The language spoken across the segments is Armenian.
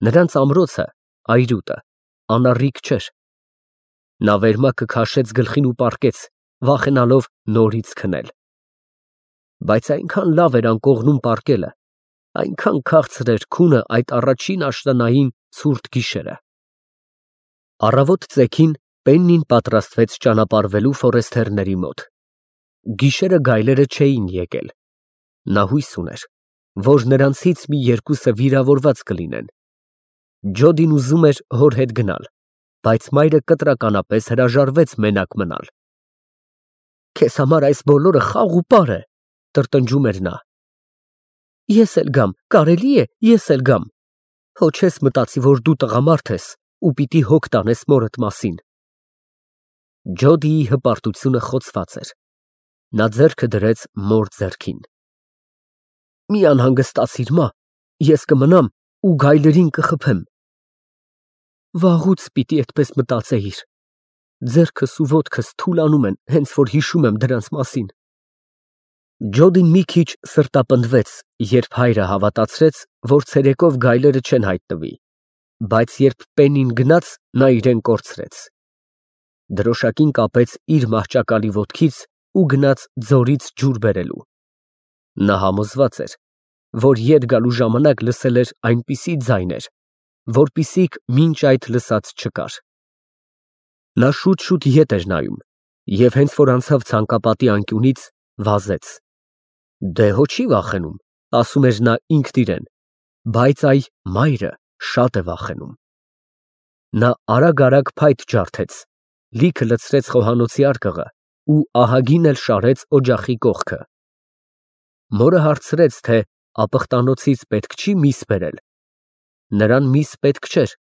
Նրանց ամրոցը, այրուտը, անառիկ չէր։ Նա վերմակը քաշեց գլխին ու պառկեց, վախենալով նորից քնել։ Բայց այնքան լավ էր անկողնում պառկելը, այնքան քաղցր էր քունը այդ առաջին աշնանային ցուրտ գիշերը։ Առավոտ ծեքին Պեննին պատրաստվեց ճանապարհվելու Ֆորեսթերների մոտ։ Գիշերը գայլերը չէին եկել։ Նա հույս ուներ, որ նրանցից մի երկուսը վիրավորված կլինեն։ Ջոդին ուզում էր հոր հետ գնալ, բայց մայրը կտրականապես հրաժարվեց մենակ մնալ։ Քեզ համար այս բոլորը խաղ ու պար է, տրտնջում էր նա։ Ես էլ գամ, կարելի է, ես էլ գամ։ Հո չես մտածի, որ դու տղամարդ ես ու պիտի հոգ տանես մորդ մասին։ Ջոդիի հպարտությունը խոցված էր։ Նա ձեռքը դրեց մոր ձեռքին։ Մի անհանգստացիր, մա, ես կմնամ ու գայլերին կխփեմ։ Վաղուց պիտի այդպես մտածեիր։ Ձեռքս ու ոտքս թուլանում են, հենց որ հիշում եմ դրանց մասին։ Ջոդին մի քիչ սրտապնդվեց, երբ հայրը հավատացրեց, որ ցերեկով գայլերը չեն հայտնվի, բայց երբ Պեննին գնաց, նա իրեն կորցրեց։ Դրոշակին կապեց իր մահճակալի ոտքից ու գնաց ձորից ջուր բերելու։ Նա համոզված էր, որ ետ գալու ժամանակ լսել էր այնպիսի ձայներ, որպիսիք մինչ այդ լսած չկար։ Նա շուտ ետ էր նայում և հենց որ անցավ ցանկապատի անկյունից, վազեց։ Դե հո չի վախենում, ասում էր նա ինքն իրեն, բայց այ մայրը շատ է վախենում։ Նա արագ փայտ ջարդեց, լիքը լցրեց խոհանոցի արկղը ու ահագին էլ շարեց օջախի կողքը։ Մորը հարցրեց, թե ապխտանոցից պետք չի միս բերել։ Նրան միս պետք չէր,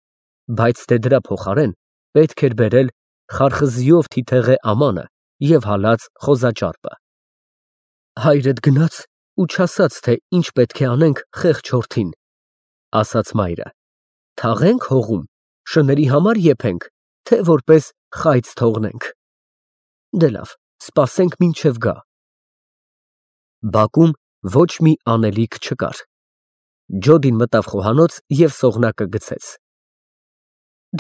բայց թե դրա փոխարեն պետք էր բերել խարխզիով թիթեղե ամանը և հալած խոզաճարպը։ Հայրդ գնաց ու չասաց, թե ինչ պետք է անենք խեղճ որդին, ասաց մայրը։ Թաղենք հողում, շների համար եփենք, թե որպես խայծ թողնենք։ Դե լավ, սպասենք մինչև գա։ Բակում ոչ մի անելիք չկար։ Ջոդին մտավ խոհանոց և սողնակը գցեց։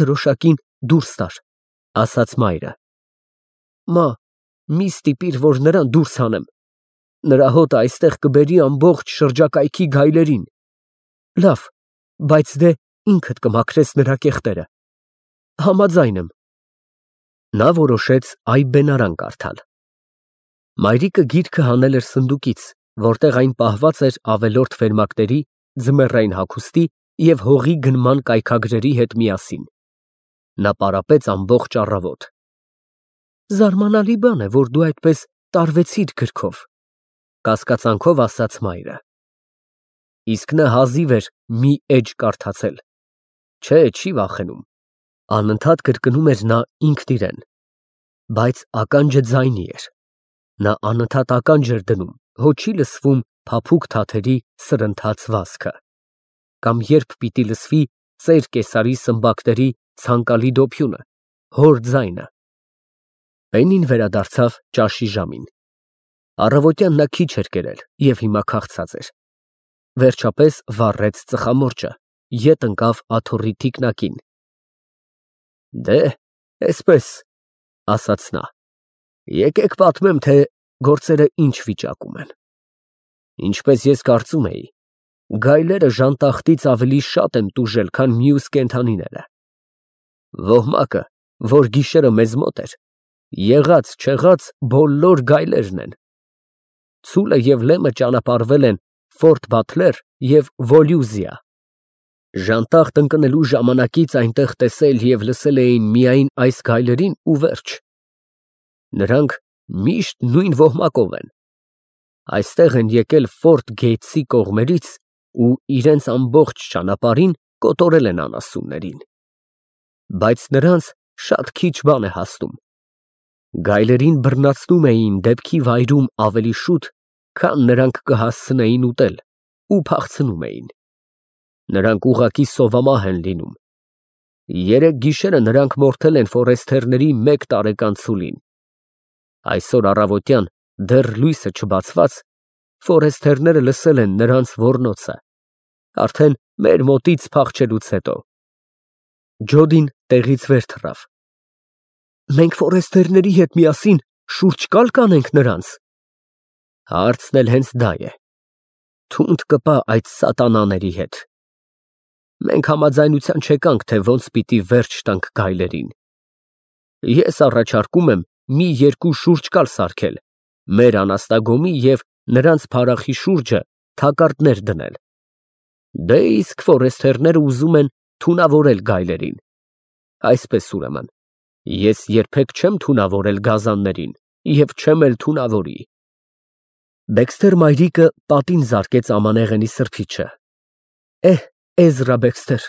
Դրոշակին դուրս տար, ասաց մայրը։ Մա, մի ստիպիր, որ նրան դուրս հանեմ։ Նրա հոտը այստեղ կբերի ամբողջ շրջակայքի գայլերին։ Լավ, բայց դե ինքդ կմաքրես նրա կեղտերը։ Համաձայն եմ։ Նա որոշեց այբբենարան կարդալ։ Մայրիկը գիրքը հանել էր սնդուկից, որտեղ այն պահված էր ավելորդ վերմակների, ձմեռային հագուստի և հողի գնման կայքագրերի հետ միասին։ Նա պարապեց ամբողջ առավոտ։ Զարմանալի բան է, որ դու այդպես տարվեցիր գրքով, կասկածանքով ասաց մայրը։ Իսկ նա հազիվ էր մի էջ կարդացել։ Չէ, չի վախենում, անընդհատ կրկնում էր նա ինքն իրեն, բայց ականջը ձայնի էր։ Նա անընդհատ ականջ էր դնում, հո չի լսվում փափուկ թաթերի սրընթաց վազքը, կամ երբ պիտի լսվի ծեր կեսարի սմբակների ցանկալի դոփյունը, հոր ձայնը։ Պեննին վերադարձավ ճաշի ժամին։ Առավոտյան նա քիչ էր կերել և հիմա քաղցած էր։ Վերջապես վառեց ծխամորճը, ետ ընկավ աթոռի թիկնակին։ Դե, էսպես, ասաց նա, եկեք պատմեմ, թե գործերը ինչ վիճակում են։ Ինչպես ես կարծում էի, գայլերը ժանտախտից ավելի շատ են տուժել, քան մյուս կենդանիները։ Ոհմակը, որ գիշերը մեզ մոտ էր, եղած-չեղած բոլոր գայլերն են։ Ցուլը և Լեմը ճանապարհվել են Ֆորտ Բաթլեր և Վոլյուզիա։ Ժանտախտ ընկնելու ժամանակից այնտեղ տեսել և լսել էին միայն այս գայլերին ու վերջ։ Նրանք միշտ նույն ոհմակով են։ Այստեղ են եկել Ֆորտ Գեյթսի կողմերից ու իրենց ամբողջ ճանապարհին կոտորել են անասուններին։ Բայց նրանց շատ քիչ բան է հասնում։ Գայլերին բռնացնում էին դեպքի վայրում ավելի շուտ, քան նրանք կհասցնեին ուտել, ու փախցնում էին։ Նրանք ուղղակի սովամահ են լինում։ Երեկ գիշերը նրանք մորթել են Ֆորեսթերների 1 տարեկան ցուլին։ Այսօր առավոտյան, դեռ լույսը չբացված, Ֆորեսթերները լսել են նրանց ոռնոցը։ Արդեն մեր մոտից փախչելուց հետո։ Ջոդին տեղից վեր թռավ։ Մենք ֆորեստերների հետ միասին շուրջ կալ կանենք նրանց։ Հարցն էլ հենց դա է։ Թունդ կպա այդ սատանաների հետ։ Մենք համաձայնության չեկանք, թե ոնց պիտի վերջ տանք գայլերին։ Ես առաջարկում եմ մի երկու շուրջկալ սարքել, մեր անաստագոմի և նրանց փարախի շուրջը թակարդներ դնել։ Դե իսկ ֆորեստերները ուզում են թունավորել գայլերին։ Այսպես ուրեմն, ես երբեք չեմ թունավորել գազաններին և չեմ էլ թունավորի։ Բեքսթեր մայրիկը պատին զարկեց ամանեղենի սրբիչը։ Էզրա Բեքսթեր,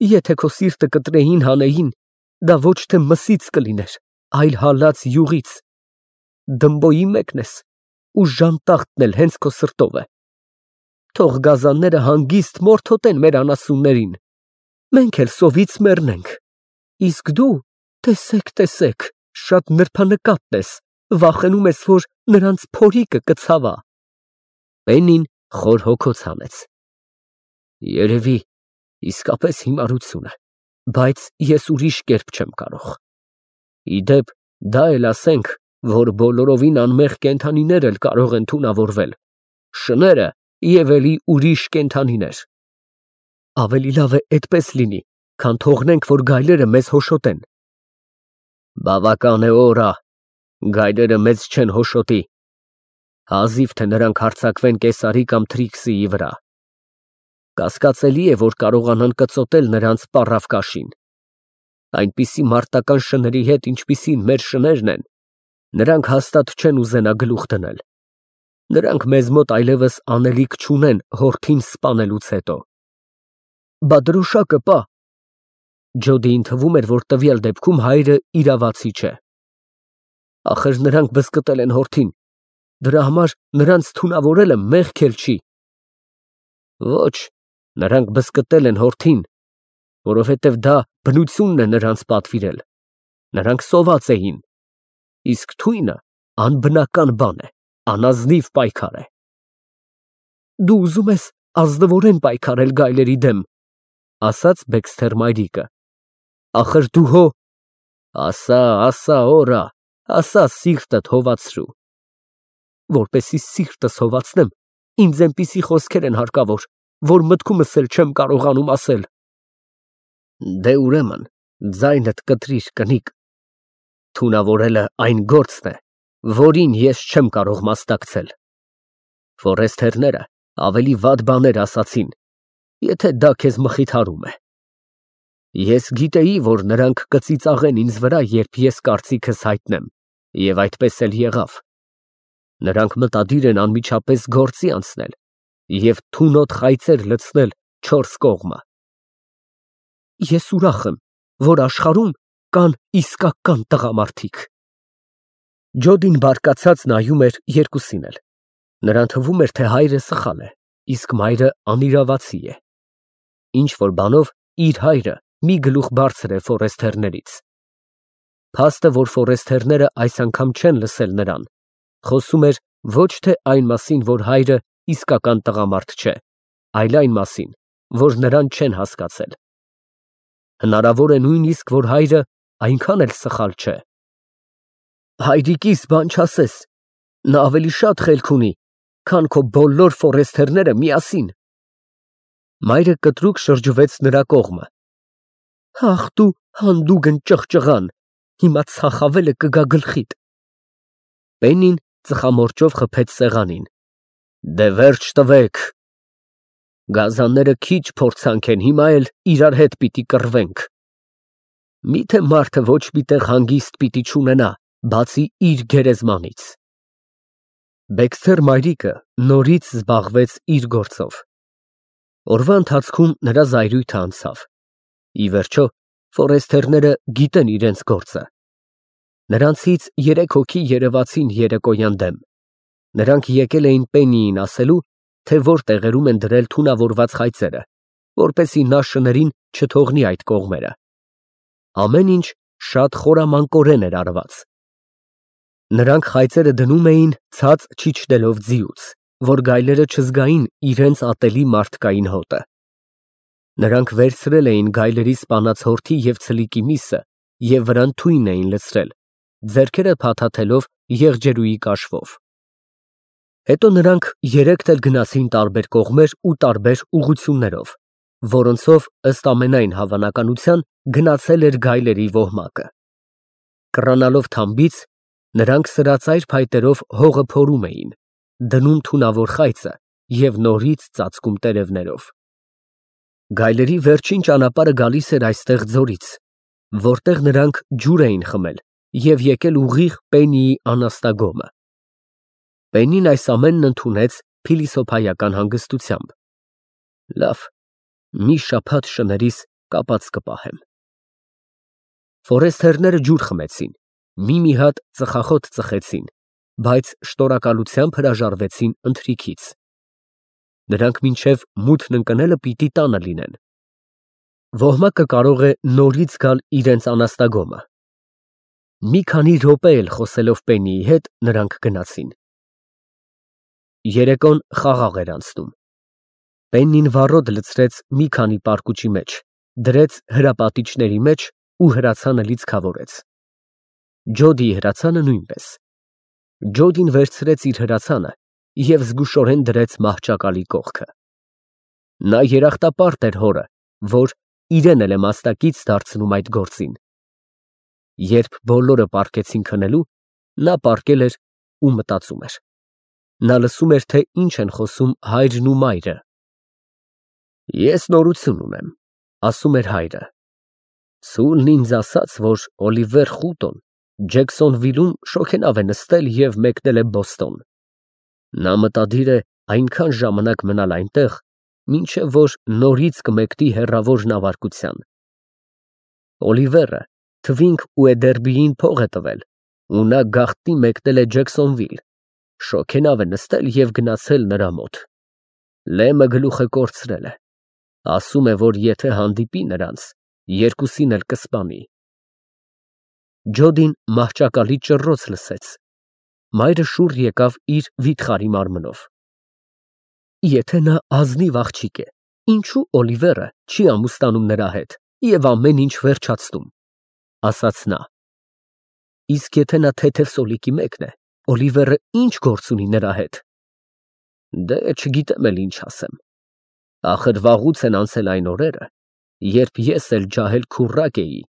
եթե քո սիրտը կտրեին հանեին, դա ոչ թե մսից կլիներ, այլ հալած յուղից։ Դմբոյի մեկն ես, ու ժանտախտն էլ հենց քո սրտով է։ Թող գազանները հանգիստ մորթոտեն մեր անասուններին, մենք էլ սովից մեռնենք։ Իսկ դու, տեսեք, շատ նրբանկատ ես, վախենում ես, որ նրանց փորիկը կցավա։ Պեննին խոր հոգոց հանեց։ Երևի իսկապես հիմարություն է, բայց ես ուրիշ կերպ չեմ կարող։ Ի դեպ, դա էլ ասենք, որ բոլորովին անմեղ կենդանիներ էլ կարող են թունավորվել, շները և էլի ուրիշ կենդանիներ։ Ավելի լավ է այդպես լինի, քան թողնենք, որ գայլերը մեզ հոշոտեն։ Բավական է, օրա, գայլերը մեզ չեն հոշոտի, հազիվ թե նրանք հարձակվեն Կեսարի կամ Թրիքսիի վրա։ Կասկածելի է, որ կարողանան կծոտել նրանց պառավ կաշին։ Այնպիսի մարտական շների հետ, ինչպիսին մեր շներն են, նրանք հաստատ չեն ուզենա գլուխ դնել։ Նրանք մեզ մոտ այլևս անելիք չունեն հորթին սպանելուց հետո։ Բա դրոշակը պա։ Ջոդիին թվում էր, որ տվյալ դեպքում հայրը իրավացի չէ։ Ախր նրանք բզկտել են հորթին, դրա համար նրանց թունավորելը մեղք էլ չի։ Ոչ, նրանք բզկտել են հորթին, որովհետև դա բնությունն է նրանց պատվիրել, նրանք սոված էին, իսկ թույնը անբնական բան է, անազնիվ պայքար է։ Դու ուզում ես ազնվորեն պայքարել գայլերի դեմ, ասաց Բեքսթեր մայրիկը, ախր դու հո, ասա, օրա, ասա սիրտդ հովացրու։ Որպեսի սիրտս հովացնեմ, ինձ այնպիսի խոսքեր են հարկավոր, որ մտքումս էլ չեմ կարողանում ասել։ Դե ուրեմն, ձայնդ կտրիր, կնիկ։ Թունավորելը այն գործն է, որին ես չեմ կարող մասնակցել։ Ֆորեստերները ավելի վատ բաներ ասացին, եթե դա քեզ մխիթարում է։ Ես գիտեի, որ նրանք կծիծաղեն ինձ վրա, երբ ես կարծիքս հայտնեմ, և այդպես էլ եղավ։ Նրանք մտադիր են անմիջապես գործի անցնել և թունոտ խայծեր լցնել չորս կողմը։ Ես ուրախ եմ, որ աշխարհում կան իսկական տղամարդիկ։ Ջոդին բարկացած նայում էր երկուսին էլ։ Նրան թվում էր, թե հայրը սխալ է, իսկ մայրը անիրավացի է։ Ինչ որ բանով իր հայրը մի գլուխ բարձր է ֆորեստերներից։ Փաստը, որ ֆորեստերները այս անգամ չեն լսել նրան, խոսում էր ոչ թե այն մասին, որ հայրը իսկական տղամարդ չէ, այլ այն մասին, որ նրան չեն հասկացել։ Հնարավոր է նույնիսկ, որ հայրը այնքան էլ սխալ չէ։ Հայրիկիս բան չասես, նա ավելի շատ խելք ունի, քան քո բոլոր ֆորեստերները միասին։ Մայրը կտրուկ շրջվեց նրա կողմը։ Ախ դու հանդուգն ճղճղան, հիմա ցախավելը կգա գլխիդ։ Պեննին ծխամորճով խփեց սեղանին։ Դե վերջ տվեք։ Գազանները քիչ փորձանք են, հիմա էլ իրար հետ պիտի կռվենք։ Միթե մարդը ոչ մի տեղ հանգիստ պիտի չունենա, բացի իր գերեզմանից։ Բեքսթեր մայրիկը նորից զբաղվեց իր գործով։ Օրվա ընթացքում նրա զայրույթը անցավ։ Ի վերջո, ֆորեստերները գիտեն իրենց գործը։ Նրանցից 3 հոգի երևացին երեկոյան դեմ։ Նրանք եկել էին Պեննիին ասելու, թե որ տեղերում են դրել թունավորված խայծերը, որպեսզի նա շներին չթողնի այդ կողմերը։ Ամեն ինչ շատ խորամանկորեն էր արված։ Նրանք խայծերը դնում էին ցած չիջնելով ձիուց, որ գայլերը չզգային իրենց ատելի մարդկային հոտը։ Նրանք վերցրել էին գայլերի սպանած հորթի և ցլիկի միսը և վրան թույն էին լցրել, ձեռքերը փաթաթելով եղջերուի կաշվով։ Հետո նրանք երեքդ էլ գնացին տարբեր կողմեր ու տարբեր ուղղություններով, որոնցով ըստ ամենայն հավանականության գնացել էր գայլերի ոհմակը։ Կռանալով թամբից, նրանք սրածայր փայտերով հողը փորում էին, դնում թունավոր խայծը և նորից ծածկում տերևներով։ Գայլերի վերջին ճանապարհը գալիս էր այստեղ ձորից, որտեղ նրանք ջուր էին խմել և եկել ուղիղ Պենիի անաստագոմը։ Պենին այս ամենն ընդունեց փիլիսոփայական հանգստությամբ։ Լավ, մի շաբաթ շներիս կապած կպահեմ։ Ֆորեստերները ջուր խմեցին, մի հատ ծխախոտ ծխեցին, բայց շնորհակալությամբ հրաժարվեցին ընթրիքից։ Նրանք մինչև մութն ընկնելը պիտի տանը լինեն։ Ոհմակը կարող է նորից գալ իրենց անաստագոմը։ Մի քանի րոպե էլ խոսելով Պենիի հետ նրանք գնացին։ Երեկոն խաղաղ էր անցնում։ Պեննին վառոդ լցրեց մի քանի պարկուճի մեջ, դրեց հրապատիճների մեջ ու հրացանը լիցքավորեց։ Ջոդիի հրացանը նույնպես։ Ջոդին վերցրեց իր հրացանը և զգուշորեն դրեց մահճակալի կողքը։ Նա երախտապարտ էր հորը, որ իրեն էլ է մասնակից դարձնում այդ գործին։ Երբ բոլորը պառկեցին քնելու, նա պառկել էր ու մտածում էր։ Նա լսում էր, թե ինչ են խոսում հայրն ու մայրը։ Ես նորություն ունեմ, ասում էր հայրը։ Ցուլն ինձ ասաց, որ Օլիվեր Խուտոն Ջեքսոնվիլում շոգենավ է նստել և մեկնել է Բոստոն։ Նա մտադիր է այնքան ժամանակ մնալ այնտեղ, մինչև որ նորից կմեկնի հեռավոր նավարկության։ Օլիվերը Թվինք ու Էդերբիին փող է տվել, ու նա գաղտնի մեկնել է Ջեքսոնվիլ, շոգենավ է նստել և գնացել նրա մոտ։ Լեմը գլուխը կորցրել է, ասում է, որ եթե հանդիպի նրանց, երկուսին էլ կսպանի։ Ջոդին մահճակալի ճռռոց լսեց։ Մայրը շուռ եկավ իր վիթխարի մարմնով։ Եթե նա ազնիվ աղջիկ է, ինչու Օլիվերը չի ամուսնանում նրա հետ և ամեն ինչ վերջացնում, ասաց նա։ Իսկ եթե նա թեթև սոլիկի մեկն է, Օլիվերը ինչ գործ ունի նրա հետ։ Դե չգիտեմ էլ ինչ ասեմ։ Ախր վաղուց են անցել այն օրերը, երբ ես էլ ջահել քուռակ էի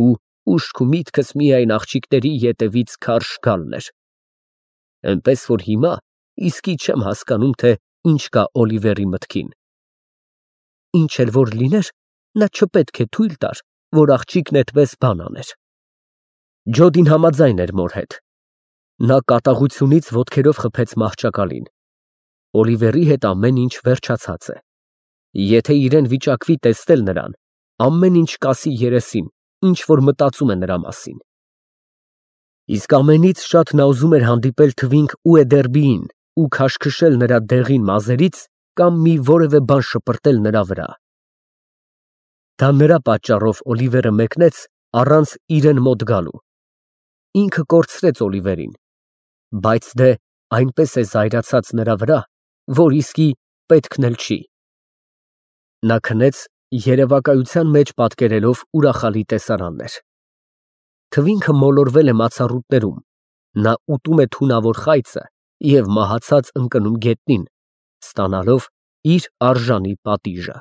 ու ուշք ու միտքս միայն աղջիկների ետևից քարշ գալն էր։ Էնպես որ հիմա իսկի չեմ հասկանում, թե ինչ կա Օլիվերի մտքին։ Ինչ էլ որ լիներ, նա չպետք է թույլ տար, որ աղջիկն էդպես բան աներ։ Ջոդին համաձայն էր մոր հետ։ Նա կատաղությունից ոտքերով խփեց մահճակալին։ Օլիվերի հետ ամեն ինչ վերջացած է։ Եթե իրեն վիճակվի տեսնել նրան, ամեն ինչ կասի երեսին, ինչ որ մտածում է նրա մասին։ Իսկ ամենից շատ նա ուզում էր հանդիպել Թվինք ու Էդերբիին ու քաշքշել նրա դեղին մազերից կամ մի որևէ բան շպրտել նրա վրա։ Դա նրա պատճառով Օլիվերը մեկնեց առանց իրեն մոտ գալու։ Ինքը կորցրեց Օլիվերին, բայց դե այնպես է զայրացած նրա վրա, որ իսկի պետքն էլ չի։ Նա քնեց երևակայության մեջ պատկերելով ուրախալի տեսարաններ։ Թվինքը մոլորվել է մացառուտներում, նա ուտում է թունավոր խայծը և մահացած ընկնում գետնին, ստանալով իր արժանի պատիժը։